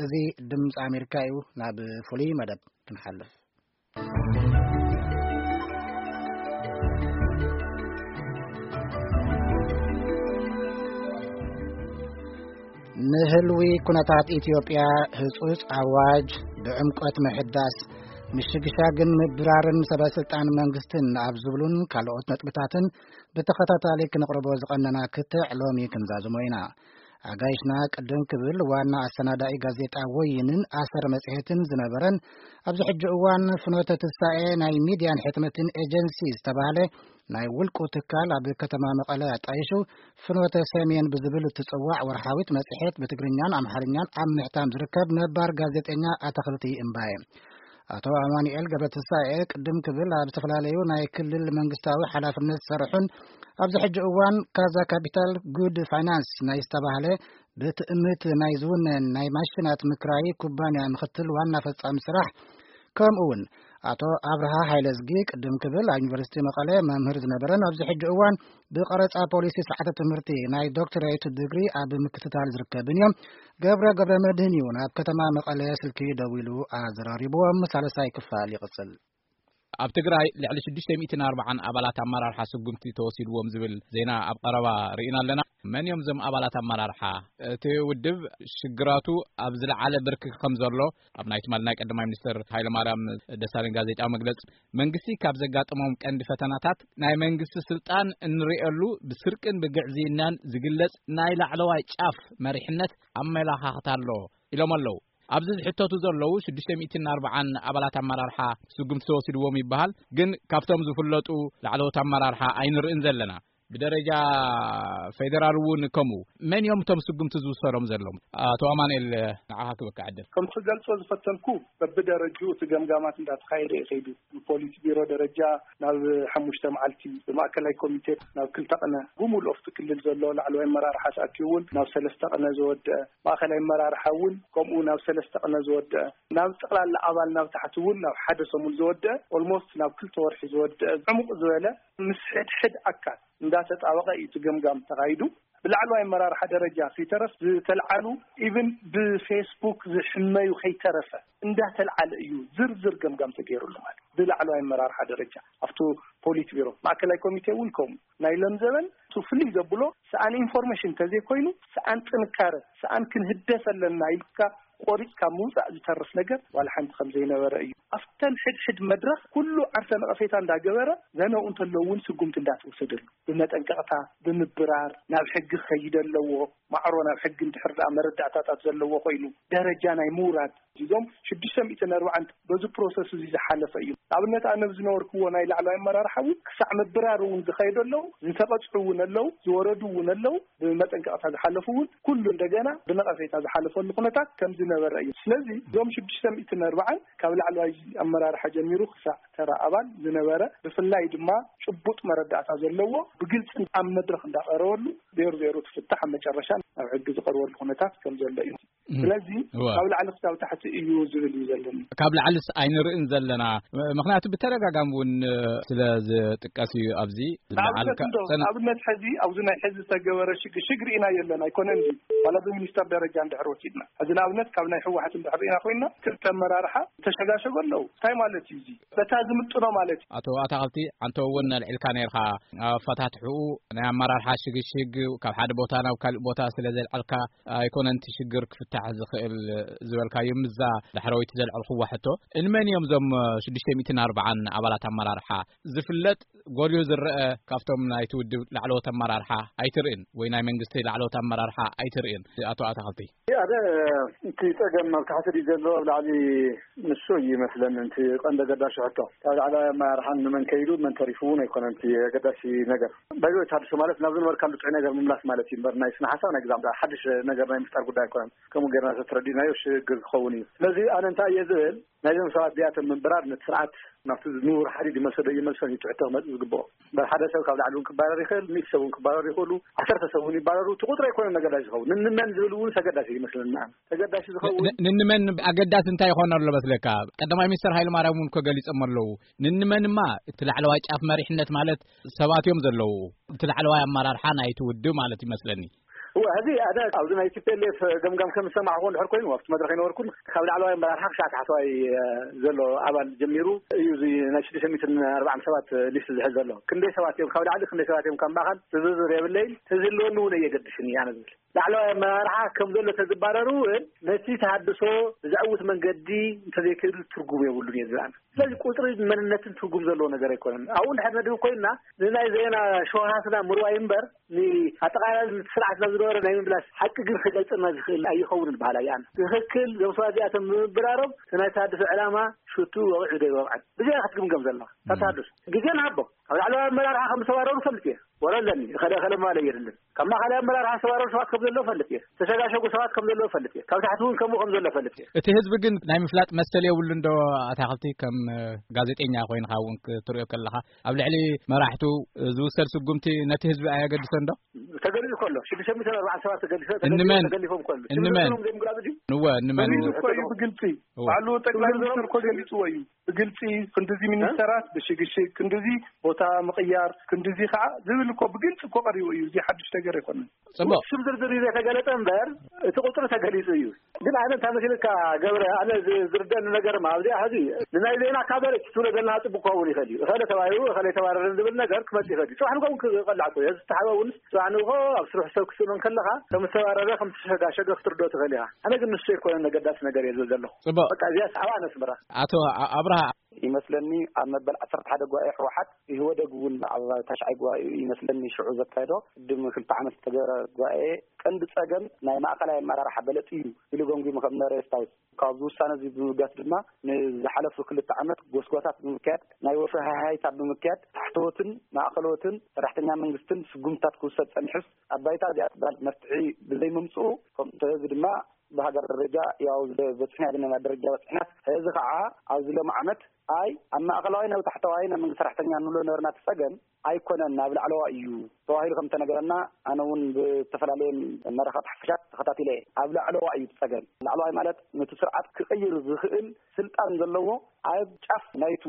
እዚ ድምፂ ኣሜሪካ እዩ። ናብ ፍሉይ መደብ ክንሓልፍ። ንህልዊ ኩነታት ኢትዮጵያ ህጹጽ ኣዋጅ፣ ብዕምቆት ምሕዳስ፣ ምሽግሻግን ምብራርን ሰበ ስልጣን መንግስትን ኣብ ዝብሉን ካልኦት ነጥብታትን ብተኸታታሊ ክንቕርቦ ዝቐነና ክትዕ ሎሚ ክንዛዝሞ ኢና። ኣጋይሽና ቅድም ክብል ዋና ኣሰናዳኢ ጋዜጣ ወይንን ኣሰር መጽሔትን ዝነበረን፣ ኣብዚ ሕጂ እዋን ፍኖተ ትንሳኤ ናይ ሚድያን ሕትመትን ኤጀንሲ ዝተባህለ ናይ ውልቁ ትካል ኣብ ከተማ መቐለ ኣጣይሹ ፍኖተ ሰሜን ብዝብል እትጽዋዕ ወርሓዊት መጽሔት ብትግርኛን ኣምሓርኛን ኣብ ምሕታም ዝርከብ ነባር ጋዜጠኛ ኣታኽልቲ እምባየ። ኣቶ ኣማኑኤል ገብረትንሳኤ ቅድም ክብል ኣብ ዝተፈላለዩ ናይ ክልል መንግስታዊ ሓላፍነት ዝሰርሑን ኣብዚ ሕጂ እዋን ካዛ ካፒታል ጉድ ፋይናንስ ናይ ዝተባህለ ብትእምት ናይ ዝውነን ናይ ማሽናት ምክራይ ኩባንያ ምኽትል ዋና ፈጻሚ ስራሕ፣ ከምኡ እውን ኣቶ ኣብርሃ ሃይለዝጊ ቅድም ክብል ኣብ ዩኒቨርሲቲ መቐለ መምህር ዝነበረን ኣብዚ ሕጂ እዋን ብቐረጻ ፖሊሲ ስርዓተ ትምህርቲ ናይ ዶክተሬት ድግሪ ኣብ ምክትታል ዝርከብን እዮም። ገብረ ገብረ መድህን እዩ ናብ ከተማ መቐለ ስልኪ ደዊሉ ኣዘራሪብዎም። ሳልሳይ ክፋል ይቕጽል። ኣብ ትግራይ ልዕሊ ሽዱሽተ ሚእትን ኣርባዓን ኣባላት ኣመራርሓ ስጉምቲ ተወሲድዎም ዝብል ዜና ኣብ ቀረባ ርኢና ኣለና። መን እዮም እዞም ኣባላት ኣመራርሓ? እቲ ውድብ ሽግራቱ ኣብ ዝለዓለ ብርኪ ከም ዘሎ ኣብ ናይ ትማሊ ናይ ቀዳማይ ሚኒስትር ሃይለማርያም ደሳለኝ ጋዜጣዊ መግለጺ፣ መንግስቲ ካብ ዘጋጠሞም ቀንዲ ፈተናታት ናይ መንግስቲ ስልጣን እንርእየሉ ብስርቅን ብግዕዝይናን ዝግለጽ ናይ ላዕለዋይ ጫፍ መሪሕነት ኣመላኻኽታ ኣሎ ኢሎም ኣለዉ። ኣብዚ ዝሕተቱ ዘለዉ ሽዱሽተ ሚእትን ኣርባዓን ኣባላት ኣመራርሓ ስጉምቲ ተወሲድዎም ይበሃል፣ ግን ካብቶም ዝፍለጡ ላዕለዎት ኣመራርሓ ኣይንርእን ዘለና። ብደረጃ ፌደራል እውን ከምኡ። መን እዮም እቶም ስጉምቲ ዝውሰዶም ዘለዉ? ኣቶ ኣማኑኤል፣ ንዓኻ ክበካ ዕድል። ከም ክገልጾ ዝፈተንኩ፣ በብደረጅኡ እቲ ገምጋማት እንዳተኻየደ እዩ ከይዱ። ብፖሊስ ቢሮ ደረጃ ናብ ሓሙሽተ መዓልቲ፣ ብማእከላይ ኮሚቴ ናብ ክልተ ቅነ፣ ብሙሉእ ኣብቲ ክልል ዘሎ ላዕለዋይ ኣመራርሓ ተኣኪቡ እውን ናብ ሰለስተ ቅነ ዝወደአ፣ ማእከላይ ኣመራርሓ እውን ከምኡ ናብ ሰለስተ ቅነ ዝወደአ፣ ናብ ጠቕላላ ኣባል ናብ ታሕቲ እውን ናብ ሓደ ሰሙን ዝወደአ፣ ኦልሞስት ናብ ክልተ ወርሒ ዝወደአ፣ ዕሙቕ ዝበለ ምስ ሕድሕድ ኣካል እንዳተጣበቐ እዩ እቲ ገምጋም ተኻይዱ። ብላዕለዋይ ኣመራርሓ ደረጃ ከይተረፍ ዝተልዓሉ፣ ኢቭን ብፌስቡክ ዝሕመዩ ከይተረፈ እንዳተልዓለ እዩ ዝርዝር ገምጋም ተገይሩሉ። ማለት ብላዕለዋይ ኣመራርሓ ደረጃ ኣብቲ ፖሊት ቢሮ፣ ማእከላይ ኮሚቴ እውን ከምኡ። ናይ ለምዘበን እቲ ፍልይ ዘብሎ፣ ሰኣን ኢንፎርሜሽን እንተዘይኮይኑ፣ ሰኣን ጥንካረ፣ ሰኣን ክንህደስ ኣለና ኢልካ ቆሪጽካ ምውጻእ ዝተርፍ ነገር ዋላ ሓንቲ ከም ዘይነበረ እዩ። ኣብተን ሕድሕድ መድረኽ ኩሉ ዓርሰ ነቐፌታ እንዳገበረ፣ ዘነው እንተለዉ እውን ስጉምቲ እንዳተወሰደሉ፣ ብመጠንቀቕታ፣ ብምብራር፣ ናብ ሕጊ ክኸይድ ኣለዎ። ማዕሮ ናብ ሕጊ እንድሕር ደኣ መረዳእታታት ዘለዎ ኮይኑ፣ ደረጃ ናይ ምውራድ፣ እዞም ሽዱሽተ ሚእትን ኣርባዓን በዚ ፕሮሰስ እዚ ዝሓለፈ እዩ። ንኣብነት፣ ኣነ ብዝነበርክዎ ናይ ላዕለዋይ ኣመራርሓ እውን ክሳዕ ምብራር እውን ዝኸየዱ ኣለዉ፣ ዝተቐጽዑ እውን ኣለዉ፣ ዝወረዱ እውን ኣለዉ፣ ብመጠንቀቕታ ዝሓለፉ እውን፣ ኩሉ እንደገና ብነቐፌታ ዝሓለፈሉ ኩነታት ከም ዝነበረ እዩ። ስለዚ እዞም ሽዱሽተ ሚእትን ኣርባዓን ካብ ላዕለዋይ ኣመራርሓ ጀሚሩ ክሳዕ ተራ ኣባል ዝነበረ፣ ብፍላይ ድማ ጭቡጥ መረዳእታ ዘለዎ፣ ብግልፂ ኣብ መድረኽ እንዳቐረበሉ፣ ዜሮ ዜሮ ትፍታሕ፣ ኣብ መጨረሻ ናብ ሕጊ ዝቐርበሉ ኩነታት ከም ዘሎ እዩ። እም። ስለዚ እዋ። ካብ ላዕሊ ክሳብ ታሕቲ እዩ ዝብል እዩ ዘለኒ። ካብ ላዕልስ ኣይንርእን ዘለና። ም-፣ ምኽንያቱ ብተደጋጋሚ እውን፣ እ፣ ስለ ዝጥቀስ እዩ ኣብዚ ንኣብነት ዝለዓልካ እንዶ፣ ጽን- ንኣብነት ሕዚ ኣብዚ ናይ ሕዚ ዝተገበረ ሽግ-፣ ሽግ ርኢና የለን ኣይኮነን ድዩ? ዋላ ብሚኒስተር ደረጃ እንድሕር ወሲድና። ሕዚ ንኣብነት ካብ ናይ ህወሓት እንድሕር ርኢና ኮይና ክልተ ኣመራርሓ ተሸጋሸጎ ኣለዉ። እንታይ ማለት እዩ እዚ? በታ ዝምጥኖ ማለት እዩ። ኣቶ ኣታኽልቲ፣ ኣንተ እውን ኣልዒልካ ነይርካ። ኣፈታትሕኡ ናይ ኣመራርሓ ሽግሽግ ካብ ሓደ ቦታ ናብ ካልእ ቦታ ስለ ዘልዓልካ ኣይኮነን እቲ ሽግር ክፍታሕ ዝኽእል ዝበልካዮ። ምስዛ ዳሕረወይቲ ዘልዐልኩዋ ሕቶ፣ እንመን እዮም እዞም ሽዱሽተ ሚእትን ኣርባዓን ኣባላት ኣመራርሓ? ዝፍለጥ ጎልዩ ዝረአ ካብቶም ናይቲ ውድብ ላዕለዎት ኣመራርሓ ኣይትርእን ወይ ናይ መንግስቲ ላዕለዎት ኣመራርሓ ኣይትርእን? ኣቶ ኣታኽልቲ። ኣደ፣ እቲ ጸገም ኣብ ታሕቲ ድዩ ዘሎ ኣብ ላዕሊ? ንሱ እዩ ይመስለኒ እቲ ቀንዲ ኣገዳሲ ሕቶ። ካብ ላዕለዋይ ኣመራርሓ ንመን ከይዱ መን ተሪፉ እውን ኣይኮነን እቲ ኣገዳሲ ነገር። ባይዞ ተሃድሶ ማለት ናብ ዝነበርካሉ ጥዑይ ነገር ምምላስ ማለት እዩ እምበር ናይ ስነ ሓሳብ ናይ ግዛዕ ሓድሽ ነገር ናይ ምፍጣር ጉዳይ ኣይኮነን። ከምኡ ጌርና ተተረዲእናዮ ሽግር ክኸውን እዩ። ስለዚ ኣነ እንታይ እየ ዝብል፣ ናይዞም ሰባት እዚኣቶም ምንብራር ነቲ ስርዓት ናብቲ ንቡር ሓዲድ ይመልሶ ዶ ይመልሶን እዩ ትሕቶ ክመጽእ ዝግብኦ። እምበር ሓደ ሰብ ካብ ላዕሊ እውን ክባረር ይኽእል፣ ሚእቲ ሰብ እውን ክባረር ይኽእሉ፣ ዓሰርተ ሰብ እውን ይባረሩ። እቲ ቁጥሪ ኣይኮነን ኣገዳሲ ዝኸውን። ንንመን ዝብል እውን ኣገዳሲ ይመስለኒ። ንዓም ተገዳሲ ዝኸውን ን-፣ ንንመን ኣገዳሲ እንታይ ይኾን ኣሎ መስለካ? ቀዳማይ ሚኒስተር ሃይለ ማርያም እውን እኮ ገሊጾም ኣለዉ። ንንመንማ እቲ ላዕለዋይ ጫፍ መሪሕነት ማለት ሰባት እዮም ዘለዉ። እቲ ላዕለዋይ ኣመራርሓ ናይቲ ውድብ ማለት ይመስለኒ። እወ፣ ሕዚ ኣነ ኣብዚ ናይ ቲ ፒ ኤል ኤፍ ገምጋም ከም ዝሰማዕኹ እንድሕር ኮይኑ፣ ኣብቲ መድረኽ ኣይነበርኩን። ካብ ላዕለዋይ ኣመራርሓ ክሻዕ ታሕተዋይ፣ እ፣ ዘሎ ኣባል ጀሚሩ እዩ እዚ ናይ ሽዱሽተ ሚእትን ኣርባዓን ሰባት ሊስት ዝሕዝ ዘሎ። ክንደይ ሰባት እዮም ካብ ላዕሊ፣ ክንደይ ሰባት እዮም ካብ ማእኸል ዝርዝር የብለይን። ተዝህልወኒ እውን ኣየገድስን እዩ ኣነ ዝብል። ላዕለዋይ ኣመራርሓ ከም ዘሎ ተዝባረሩ እውን ነቲ ተሃድሶ ብዘዕውት መንገዲ እንተዘይክእል ትርጉም የብሉን እየ ዝብል ኣነ። ስለዚ ቁጽሪ መንነትን ትርጉም ዘለዎ ነገር ኣይኮነን። ኣብኡ እንድሕር ነድህብ ኮይንና ንናይ ዜና ሸውሃትና ምርዋይ እምበር ንኣጠቓላሊ ስርዓትና ዝነበረ ናይ ምምላስ ሓቂ ግን ክገልጸና ዝኽእል ኣይኸውንን በሃላይ ኣነ። ትኽክል፣ እዞም ሰባት እዚኣቶም ብምብራሮም እቲ ናይ ተሃድሶ ዕላማ ሽቱ ወቕዑ ዶ ይወቕዐን ብዚኣ ክትግምገም ዘለዋ። ካብ ተሃድሶ ግዜ ንሃቦ። ካብ ላዕለዋይ ኣመራርሓ ከም ዝተባረሩ ፈልጥ እየ። ወረ ኣለኒ፣ እኸለ እኸለ ምባል የድልን። ካብ ማእኸላይ ኣመራርሓ ዝተባረሩ ሰባት ከም ዘለዉ ፈልጥ እየ። ዝተሸጋሸጉ ሰባት ከም ዘለዉ ፈልጥ እየ። ካብ ታሕቲ እውን ከምኡ ከም ዘሎ ፈልጥ እየ። እቲ ህዝቢ ግን ናይ ምፍላጥ መሰል የብሉን ዶ? ኣታኽልቲ፣ ከም ጋዜጠኛ ኮይንካ እውን ክትሪኦ ከለኻ፣ ኣብ ልዕሊ መራሕቱ ዝውሰድ ስጉምቲ ነቲ ህዝቢ ኣየገድሶን ዶ? ተገሊጹ ከሎ፣ ሽዱሽተ ሚእትን ኣርባዓን ሰባት ተገሊፈ-፣ ተገሊፎም እንመን? ተገሊፎም ከሎ፣ እንመን? ሽም ዝርዝሮም ዘይምግላጹ ድዩ? እወ፣ እንመን? ሽም ህዝቢ ዝርዝሮም እኮ እዩ ዘይምግላጹ። ብግልጺ። እወ። ባዕሉ ጠቅላይ ሚኒስትር እኮ ገሊጽዎ እዩ። ብግልጺ ክንድዚ ሚኒስተራት ብሽግሽግ፣ ክንድዚ ቦታ ምቕያር፣ ክንድዚ ከዓ ዝብል እኮ ብግልጺ እኮ ቀሪቡ እዩ። እዚ ሓድሽ ነገር ኣይኮነን። ጽቡቕ። ሽም ዝርዝር እዩ ዘይተገለጸ እምበር፣ እቲ ቁጽሪ ተገሊጹ እዩ። ግን ኣነ እንታይ መሲልካ ገብረ፣ ኣነ ዝ-፣ ዝርደኒ ነገር ማ ኣብዚኣ ሕዚ ንናይ ዜና ካቨሬጅ ትብሎ ዘለና ጽቡቅ ክኸውን ይኽእል እዩ። እኸለ ተባሂሩ፣ እኸለ ተባረረ ዝብል ነገር ክመጽእ ይኽእል እዩ። ጽባሕ ንግሆ እውን ክቐላዕ እኮ እዩ። እዚ ዝተሓበ እውን ጽባሕ ንግሆ ኣብ ስራሕ ሰብ ክትስእኖ ከለኻ ከም ዝተባረረ፣ ከም ዝተሸጋሸገ ክትርድኦ ትኽእል ኢኻ። ኣነ ግን ንሱ ኣይኮነን ነገዳሲ ነገር እየ ዝብል ዘለኹ። ጽቡቕ። በቃ እዚኣ ሰዓባ ኣነስምራ። ኣቶ ኣ-፣ ኣብርሃ። ይመስለኒ ኣብ መበል ዓሰርተ ሓደ ጉባኤ ህወሓት ኢህወደግ እውን ኣብ ታሽዓይ ጉባኤኡ ይመስለኒ ሽዑ ዘካየዶ ቅድሚ ክልተ ዓመት ዝተገበረ ጉባኤ ቀንዲ ጸገም ናይ ማእኸላይ ኣመራርሓ በለጽ እዩ ኢሉ ገምጊሙ ከም ነበረ የስታውስ። ካብዚ ውሳነ እዚ ብምብጋስ ድማ ንዝሓለፉ ክልተ ዓመት ጎስጓሳት ብምክያድ ናይ ወፍሪ ሃይሃይታ ብምክያድ ታሕተዎትን ማእኸለዎትን ሰራሕተኛ መንግስትን ስጉምትታት ክውሰድ ጸኒሑስ ኣብ ባይታ እዚኣ ትበሃል መፍትሒ ብዘይምምፅኡ ከምኡ እዚ ድማ ብሃገር ደረጃ ያው ዝበፅሕና ዘለና ደረጃ በፅሕናስ እዚ ከዓ ኣብዚ ሎም ዓመት ኣይ ኣብ ማእኸላዋይ ናብ ታሕተዋይ ናይ መንግስቲ ሰራሕተኛ ንብሎ ነበርና እቲ ፀገም ኣይኮነን ናብ ላዕለዋ እዩ ተባሂሉ ከም ተነገረና ኣነ እውን ብዝተፈላለየ መራኸብቲ ሓፈሻት ተኸታቲለ እየ። ኣብ ላዕለዋ እዩ እቲ ፀገም። ላዕለዋይ ማለት ነቲ ስርዓት ክቕይር ዝኽእል ስልጣን ዘለዎ ኣብ ጫፍ ናይቱ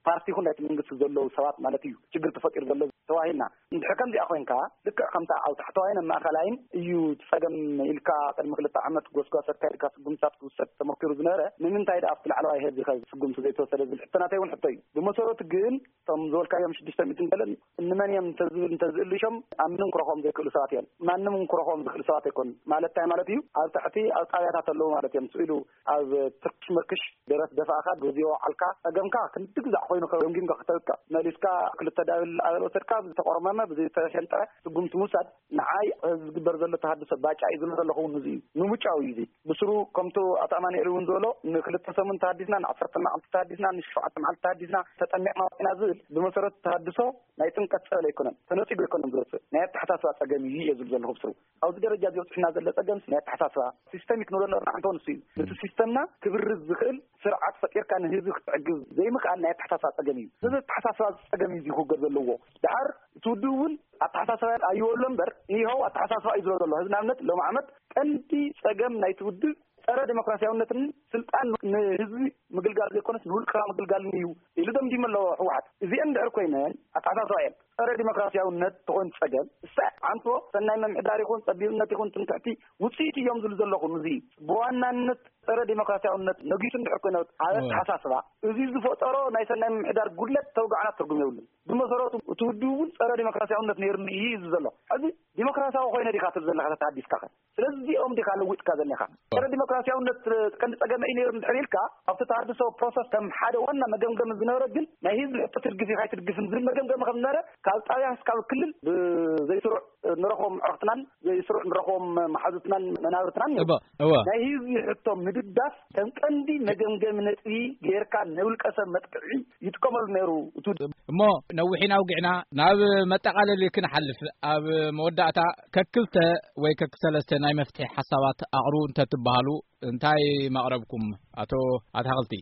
ፓርቲ ይኹን ናይቲ መንግስቲ ዘለዉ ሰባት ማለት እዩ ችግር ተፈጢሩ ዘሎ ተባሂልና። እንድሕር ከምዚኣ ኮይንካ ልክዕ ከምታ ኣብ ታሕተዋይን ኣብ ማእኸላይን እዩ እቲ ፀገም ኢልካ ቅድሚ ክልተ ዓመት ጎስጓስ ኣካይድካ ስጉምትታት ክውሰድ ተመኪሩ ዝነበረ ንምንታይ ደኣ ኣብቲ ላዕለዋይ ህዝቢ ከ ስጉምቲ ዘይተወሰደ ዝብል ሕቶ ናተይ እውን ሕቶ እዩ። ብመሰረቱ ግን እቶም ዝበልካዮም ሽዱሽተ ሚእትን ገለን እንመን እዮም እንተዝብል እንተዝእልሾም ኣብ ምንም ክረኽቦም ዘይክእሉ ሰባት እዮም። ማንም እውን ክረኽቦም ዝኽእል ሰባት ኣይኮኑን። ማለት እንታይ ማለት እዩ? ኣብ ታሕቲ ኣብ ጣብያታት ኣለዉ ማለት እዮም። ስኢሉ ኣብ ትርክሽ ምርክሽ ደረት ደፋእካ፣ ግዜ ወዓልካ፣ ጸገምካ ክንዲ ግዛዕ ኮይኑ ገምጊምካ ክተብቅዕ፣ መሊስካ ክልተ ዳብል ኣበል ወሰድካ፣ ብዝተቆርመመ፣ ብዝተሸንጠረ ስጉምቲ ምውሳድ፣ ንዓይ ዝግበር ዘሎ ተሃድሶ ባጫ እዩ ዝብሎ ዘለኹ እውን እዚ እዩ። ምሙጫው እዩ እዚ። ብስሩ ከምቱ ኣቶ ኣማኑኤል እውን ዝበሎ፣ ንክልተ ሰሙን ተሃዲስና፣ ንዓሰርተ መዓልቲ ተሃዲስና፣ ንሸውዓተ መዓልቲ ተሃዲስና፣ ተጠሚቕና ወፂና ዝብል፣ ብመሰረቱ ተሃድሶ ናይ ጥምቀት ጸበል ኣይኮነን፣ ተነጺጉ ኣይኮነን ዝወጽእ፣ ናይ ኣተሓሳስባ ጸገም እዩ እየ ዝብል ዘለኹ ብስሩ። ኣብዚ ደረጃ እዚ በጺሕና ዘሎ ጸገምሲ ናይ ኣተሓሳስባ፣ ሲስተሚክ ንብሎ ነበርና፣ ሓንቶ ንሱ እዩ። ነቲ ሲስተምና ክብርዝ ዝኽእል ስርዓት ፈጢርካ ንህዝቢ ክትዕግብ ዘይምኽኣል ናይ ኣተሓሳስባ ጸገም እዩ። ስለዚ ኣተሓሳስባ ጸገም እዩ ዝውገድ ዘለዎ። ደሓር እቲ ውድብ እውን ኣተሓሳስባ ኣይወሎ እምበር፣ ይኸው ኣተሓሳስባ እዩ ዝብሎ ዘሎ። ሕዚ ንኣብነት ሎም ዓመት ቀንዲ ጸገም ናይቲ ውድብ ጸረ ዲሞክራሲያውነትን ስልጣን ንህዝቢ ምግልጋል ዘይኮነስ ንውልቅኻ ምግልጋልን እዩ ኢሉ ደምዲሙ ኣሎ ህወሓት። እዚአን እንድሕር ኮይነን ኣተሓሳስባ እየን። ጸረ ዲሞክራሲያውነት ተኾይኑ ጸገም፣ እሳ ዓንቶ ሰናይ ምምሕዳር ይኹን ጸቢብነት ይኹን ትምክሕቲ ውጽኢት እዮም ዝብሉ ዘለኹ። እዚ ብዋናነት ጸረ ዲሞክራሲያውነት ነጊሱ እንድሕር ኮይነ ኣብ እወ። ኣተሓሳስባ፣ እዚ ዝፈጠሮ ናይ ሰናይ ምምሕዳር ጉድለት ተውጋዕና ትርጉም የብሉን። ብመሰረቱ እቲ ውድብ እውን ጸረ ዲሞክራሲያውነት ነይሩኒ እዩ ዝብል ዘሎ። ሕዚ ዲሞክራሲያዊ ኮይነ ዲኻ ትብል ዘለኻ ተተሃዲስካ ኸ? ስለዚ እዚኦም ዲኻ ለዊጥካ ዘለኻ? ጸረ ዲሞክራሲያውነት ቀንዲ ጸገመይ ነይሩ እንድሕር ኢልካ፣ ኣብቲ ተሃድሶ ፕሮሰስ ከም ሓደ ዋና መገምገሚ ዝነበረ ግን ናይ ህዝቢ ሕቶ ትድግፍ ኢኻ ኣይትድግፍን ዝብል መገምገሚ ከም ዝነበረ ካብ ጣብያ እስካብ ክልል ብዘይስሩዕ ንረኽቦም ኣዕሩኽትናን ዘይስሩዕ ንረኽቦም መሓዙትናን መናብርትናን እዮም። እወ፣ እወ። ናይ ህዝቢ ሕቶ ምድጋፍ ከም ቀንዲ መገምገሚ ነጥቢ ጌርካ ናይ ውልቀ ሰብ መጥቅዒ ይጥቀመሉ ነይሩ። እቱ እሞ ነዊሕ ኢና ኣውጊዕና፣ ናብ መጠቓለሊ ክንሓልፍ፣ ኣብ መወዳእታ ከክልተ ወይ ከክሰለስተ ናይ መፍትሒ ሓሳባት ኣቕርቡ እንተትበሃሉ እንታይ መቕረብኩም? ኣቶ ኣታኽልቲ።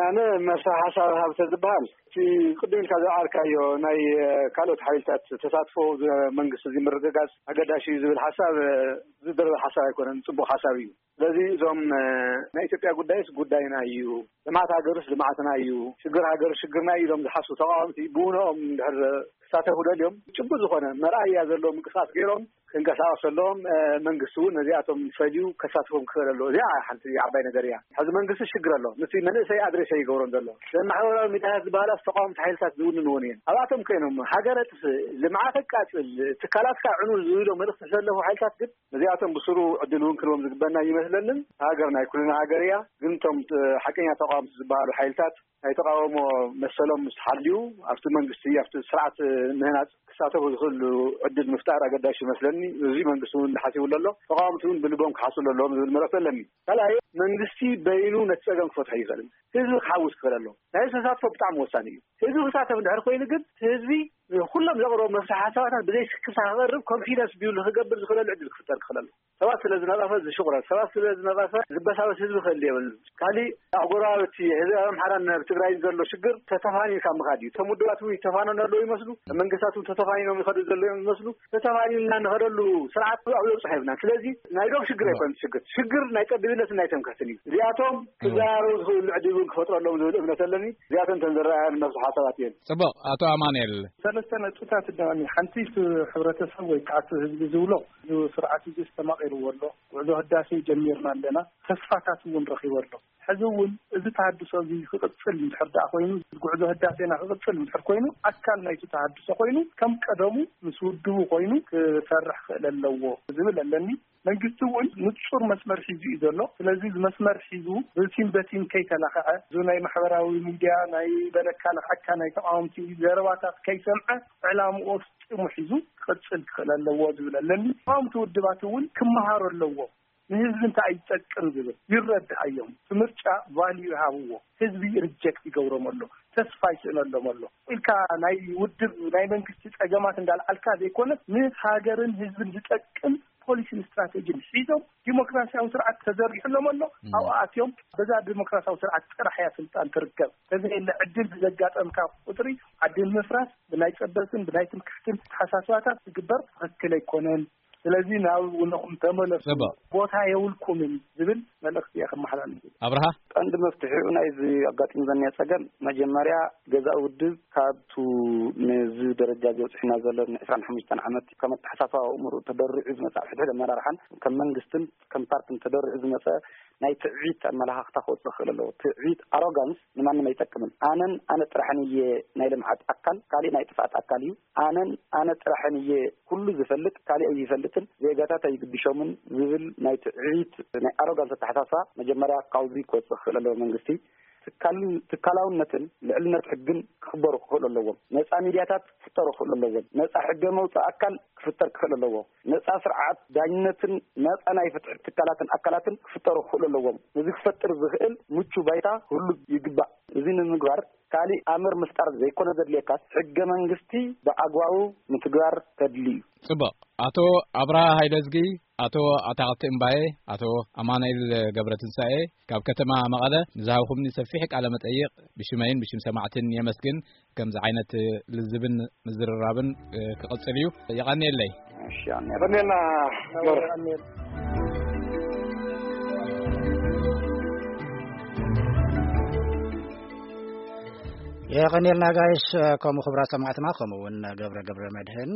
ኣነ መፍትሒ ሓሳብ ሃብ ተዝበሃል፣ እቲ ቅድም ኢልካ ዝዓርካዮ ናይ፣ እ፣ ካልኦት ሓይልታት ተሳትፎ ዝ-፣ መንግስቲ እዚ ምርግጋጽ ኣገዳሲ እዩ ዝብል ሓሳብ፣ እ፣ ዝድረር ሓሳብ ኣይኮነን፣ ጽቡቕ ሓሳብ እዩ። ስለዚ እዞም፣ እ፣ ናይ ኢትዮጵያ ጉዳይስ ጉዳይና እዩ፣ ልምዓት ሃገርስ ልምዓትና እዩ፣ ሽግር ሃገር ሽግርና እዩ ኢሎም ዝሓስቡ ተቃወምቲ ብውነኦም እንድሕር ክሳተፉ ደልዮም ጭቡጥ ዝኾነ መርኣያ ዘለዎ ምንቅስቃስ ገይሮም ክንቀሳቀሱ ኣለዎም። መንግስቲ እውን ነዚኣቶም ፈልዩ ከሳትፎም ክኽእል ኣለዎ። እዚኣ ሓንቲ ዓባይ ነገር እያ። ሕዚ መንግስቲ ሽግር ኣሎ፣ ምስ መንእሰይ ኣድሬስ ኣይገብሮን ዘሎ። ማሕበራዊ ሚዲያታት ዝበሃላ ተቃወምቲ ሓይልታት ዝውንንዎን እየን። ኣብኣቶም ኮይኖም ሃገር ኣጥፍእ፣ ልምዓት ኣቃፅል፣ ትካላትካ ዕኑ ዝብሎ መልእክቲ ዘለፉ ሓይልታት ግን ነዚኣቶም ብስሩ ዕድል እውን ክንቦም ዝግበና ይመስለንን። ሃገር ናይ ኩልና ሃገር እያ። ግን እቶም ሓቀኛ ተቃወምቲ ዝበሃሉ ሓይልታት ናይ ተቃውሞ መሰሎም ምስ ሓልዩ ኣብቲ መንግስቲ ኣብቲ ስርዓት ምህናፅ ክሳተፉ ዝኽእሉ ዕድል ምፍጣር ኣገዳሽ ይመስለኒ። እዚ መንግስቲ እውን ሓሲቡ ኣሎ፣ ተቃወምቲ እውን ብልቦም ክሓስቡ ኣለዎም ዝብል መልእክቲ ኣለኒ። ካልኣይ መንግስቲ በይኑ ነቲ ፀገም ክፈትሖ ይኽእልን ህዝቢ ክሓውስ ክኽእል ኣለዎ። ናይ ተሳትፎ ብጣዕሚ ወሳኒ እዩ። ህዝቢ ክሳተፍ እንድሕር ኮይኑ ግን ህዝቢ ኩሎም ዘቕረቡ መፍትሒ ሓሳባታት ብዘይ ስክፍታ ክቐርብ ኮንፊደንስ ቢውል ክገብር ዝኽእለሉ ዕድል ክፍጠር ክኽእል ኣለዎ። ሰባት ስለ ዝነቐፈ ዝሽቑረር፣ ሰባት ስለ ዝነቐፈ ዝበሳበስ ህዝቢ ክህሉ የብሉን። ካሊእ ኣህጉራዊ እቲ ሕዚ ኣብ ኣምሓራን ኣብ ትግራይን ዘሎ ሽግር ተተፋኒንካ ምኻድ እዩ። እቶም ውድባት እውን ይተፋነኑ ኣለዉ ይመስሉ፣ መንግስታት እውን ተተፋኒኖም ይኸዱ ዘለዉ ይመስሉ። ተተፋኒንና ንኸደሉ ስርዓት ኣብ ለውፅሖ የብልናን። ስለዚ ናይ ዶብ ሽግር ኣይኮነን ሽግር፣ ሽግር ናይ ጠቢብነትን ናይ ትምክሕትን እዩ። እዚኣቶም ክዘራረቡ ዝኽእሉ ዕድል እውን ክፈጥረሎም ዝብል እምነት ኣለኒ። እዚኣቶም እተን ዝረኣያን መፍትሒ ሓሳባት እየን። ጽቡቕ። ኣቶ ኣማኑኤል። ሰለስተ ነጥብታት እዳኒ ሓንቲ እቲ ሕብረተሰብ ወይ ከዓ እቲ ህዝቢ ዝብሎ እዚ ስርዓት እዚ ዝተማቒርዎ ኣሎ። ጉዕዞ ህዳሴ ጀሚርና ኣለና። ተስፋታት እውን ረኺቡ ኣሎ። ሕዚ እውን እዚ ተሃድሶ እዚ ክቕጽል እንድሕር ደኣ ኮይኑ፣ ጉዕዞ ህዳሴና ክቕጽል እንድሕር ኮይኑ፣ ኣካል ናይቲ ተሃድሶ ኮይኑ፣ ከም ቀደሙ ምስ ውድቡ ኮይኑ ክሰርሕ ክእል ኣለዎ ዝብል ኣለኒ። መንግስቲ እውን ንጹር መስመር ሒዙ እዩ ዘሎ። ስለዚ እዚ መስመር ሒዙ ብቲም በቲም ከይተላኸዐ፣ እዚ ናይ ማሕበራዊ ሚድያ ናይ በለካ ለኽዐካ ናይ ተቃወምቲ ዘረባታት ከይሰምዐ፣ ዕላምኡ ኣፍጺሙ ሒዙ ክቕጽል ክኽእል ኣለዎ ዝብል ኣለኒ። ተቃወምቲ ውድባት እውን ክመሃሩ ኣለዎም። ንህዝቢ እንታይ እዩ ዝጠቅም ዝብል ይረድእ ኣዮም። እቲ ምርጫ ቫልዩ ይሃብዎ። ህዝቢ ሪጀክት ይገብሮም ኣሎ። ተስፋ ይስእነሎም ኣሎ። ኢልካ ናይ ውድብ ናይ መንግስቲ ጸገማት እንዳልዓልካ ዘይኮነስ ንሃገርን ህዝብን ዝጠቅም ፖሊሲን ስትራቴጂን ሒዞም ዲሞክራሲያዊ ስርዓት ተዘርጊሕሎም ኣሎ። እም። ኣብኡ ኣትዮም በዛ ዲሞክራሲያዊ ስርዓት ጥራሕ እያ ስልጣን ትርከብ። ተዘየለ ዕድል ብዘጋጠምካ ቁጽሪ ዓዲ ንምፍራስ ብናይ ጸበትን ብናይ ትምክሕትን ተሓሳስባታት ዝግበር ትኽክል ኣይኮነን። ስለዚ ናብ ውነኹም ተመለሱ፣ ጽቡቕ። ቦታ የብልኩምን ዝብል መልእኽቲ እየ ከመሓላልፍ። ኣብርሃ? ቀንዲ መፍትሒኡ ናይዚ ኣጋጢሙ ዘኒአ ጸገም መጀመርያ ገዛእ ውድብ ካብቱ ነዚ ደረጃ እዚ በጺሕና ዘሎ ን ዕስራን ሓሙሽተን ዓመት ከም ኣተሓሳስባ ኣእምሮ ተደሪዑ ዝመጽእ ኣብ ሕድሕድ ኣመራርሓን ከም መንግስትን ከም ፓርትን ተደሪዑ ዝመጸ ናይ ትዕቢት ኣመለኻኽታ ክወጽእ ክኽእል ኣለዎ። ትዕቢት፣ ኣሮጋንስ ንማንም ኣይጠቅምን። ኣነን ኣነ ጥራሕን እየ ናይ ልምዓት ኣካል፣ ካሊእ ናይ ጥፍኣት ኣካል እዩ። ኣነን ኣነ ጥራሕን እየ ኩሉ ዝፈልጥ፣ ካሊእ ኣይፈልጥን፣ ዜጋታት ኣይግድሾምን ዝብል ናይ ትዕቢት፣ ናይ ኣሮጋንስ ኣተሓሳስባ መጀመርያ ካብዚ ክወጽእ ክኽእል ኣለዎ መንግስቲ። ትካል-፣ ትካላውነትን ልዕልነት ሕግን ክኽበሩ ክኽእሉ ኣለዎም። ነጻ ሚድያታት ክፍጠሩ ክኽእሉ ኣለዎም። ነጻ ሕገ መውጽኢ ኣካል ክፍጠር ክኽእል ኣለዎ። ነጻ ስርዓት ዳኝነትን ነጻ ናይ ፍትሒ ትካላትን ኣካላትን ክፍጠሩ ክኽእሉ ኣለዎም። ነዚ ክፈጥር ዝኽእል ምቹ ባይታ ክህሉ ይግባእ። እዚ ንምግባር ካሊእ ኣምር ምፍጣር ዘይኮነ ዘድልየካስ፣ ሕገ መንግስቲ ብኣግባቡ ምትግባር ከድሊ እዩ። ጽቡቕ። ኣቶ ኣብርሃ ሃይለዝጊ፣ ኣቶ ኣታኽልቲ እምባዬ፣ ኣቶ ኣማኑኤል ገብረትንሳኤ፣ ካብ ከተማ መቐለ ንዝሃብኹምኒ ሰፊሕ ቃለ መጠይቕ ብሽመይን ብሽም ሰማዕትን የመስግን። ከምዚ ዓይነት ልዝብን ምዝርራብን፣ እ፣ ክቕጽል እዩ። የቐንየለይ። እሺ፣ የቐንየልና። የቐንየልና ጋይስ፣ ከምኡ ክቡራት ሰማዕትና፣ ከምኡ እውን ገብረ ገብረ መድህን።